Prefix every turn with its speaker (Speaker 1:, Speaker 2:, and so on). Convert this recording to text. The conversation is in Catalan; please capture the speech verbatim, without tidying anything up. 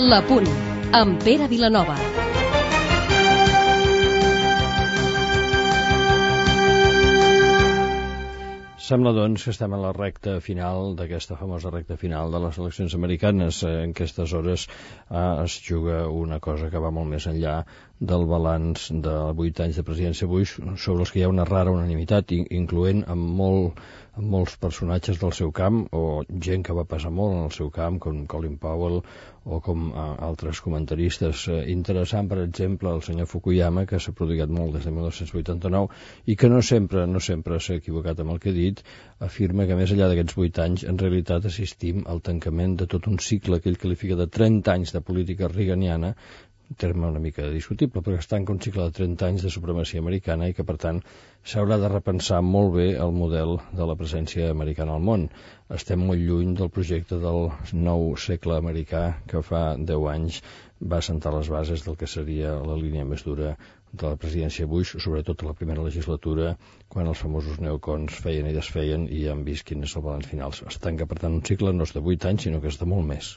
Speaker 1: La Punt, amb Pere Vilanova.
Speaker 2: Sembla, doncs, que estem a la recta final d'aquesta famosa recta final de les eleccions americanes. En aquestes hores eh, es juga una cosa que va molt més enllà del balanç de vuit anys de presidència Bush, sobre els que hi ha una rara unanimitat, incloent amb, molt, amb molts personatges del seu camp, o gent que va passar molt en el seu camp, com Colin Powell o com eh, altres comentaristes. Eh, interessant, per exemple, el senyor Fukuyama, que s'ha prodigat molt des de mil nou-cents vuitanta-nou i que no sempre no sempre s'ha equivocat amb el que ha dit, afirma que més enllà d'aquests vuit anys, en realitat assistim al tancament de tot un cicle que ell qualifica de trenta anys de política reaganiana, un terme una mica discutible, però que es tanca un cicle de trenta anys de supremacia americana i que, per tant, s'haurà de repensar molt bé el model de la presència americana al món. Estem molt lluny del projecte del nou segle americà que fa deu anys va assentar les bases del que seria la línia més dura de la presidència Bush, sobretot a la primera legislatura, quan els famosos neocons feien i desfeien i ja hem vist quin és el balanç final. Es tanca, per tant, un cicle no és de vuit anys, sinó que és de molt més.